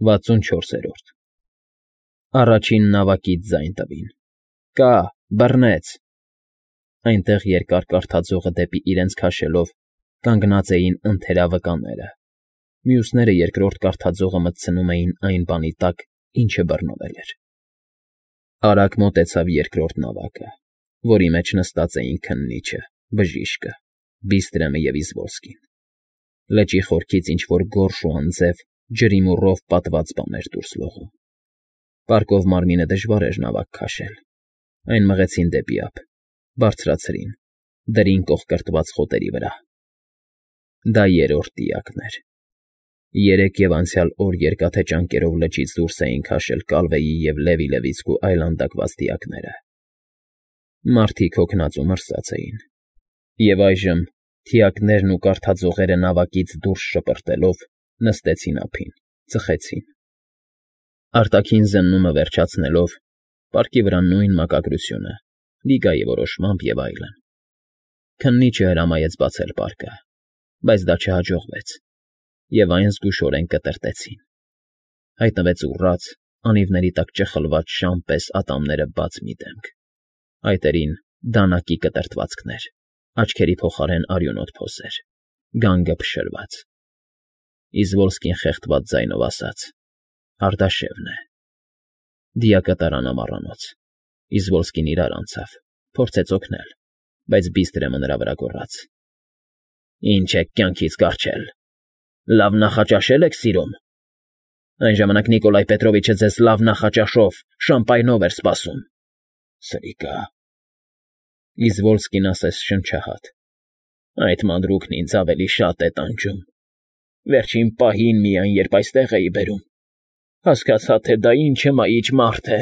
64-րդ Առաջին նավակից ձայն տվին. Կա, բռնեց… Այնտեղ երկար կարթաձողը դեպի իրենց քաշելով կանգնած էին ընթերավկաները, մյուսները երկրորդ կարթաձողը մտցնում էին այն բանի տակ, ինչը բռնվել էր… Արագ մոտեցավ երկրորդ նավակը, որի մեջ նստած էին քննիչը, բժիշկը, Բիստրեմը և Իզբոլսկին. լճի խորքից ինչ֊որ գորշ ու անձև, ջրիմուռով պատված բան էր դուրս լողում… Պարկով մարմինը դժվար էր նավակ քաշել, այն մղեցին դեպի ափ, բարձրացրին, դրին կոխկրտված խոտերի վրա… Դա երրորդ տիակն էր… Երեկ և անցյալ օր Երկաթե ճանկերով լճից դուրս էին քաշել Կալվեի և Լևի֊Լևիցկու այլանդակված դիակները… Մարդիկ հոգնած ու մրսած էին, և այժմ թիակներն ու կարթաձողերը նավակից դուրս շպրտելով նստեցին ափին, ծխեցին… Արտաքին զննումը վերջացնելով, պարկի վրա նույն մակագրությունը, Լիգայի որոշմամբ և այլն… Քննիչը հրամայեց բացել պարկը, բայց դա չհաջողվեց, և այն զգուշորեն կտրտեցին… Հայտնվեց ուռած, անիվների տակ ճխլված շան պես ատամները բաց մի դեմք, այտերին դանակի կտրտվածքներ, աչքերի փոխարեն արյունոտ փոսեր, գանգը փշրված… Իզբոլսկին խեղդված ձայնով ասաց. Արտաշևն է… Դիակը տարան ամառանոց, Իզբոլսկին իրար անցավ, փորձեց օգնել, բայց Բիստրեմը նրա վրա գոռաց. Ինչ եք կյանքից կառչել… Լավ նախաճաշե՞լ եք սիրում… Այն ժամանակ Նիկոլայ Պետրովիչը ձեզ լավ նախաճաշով, շամպայնով էր սպասում… Սրիկա… Իզբոլսկին ասես շնչահատ. Այդ մանրուքն ինձ ավելի շատ է տանջում… Վերջին պահին միայն, երբ այստեղ էի բերում, հասկացա, թե դա ինչ հմայիչ մարդ է…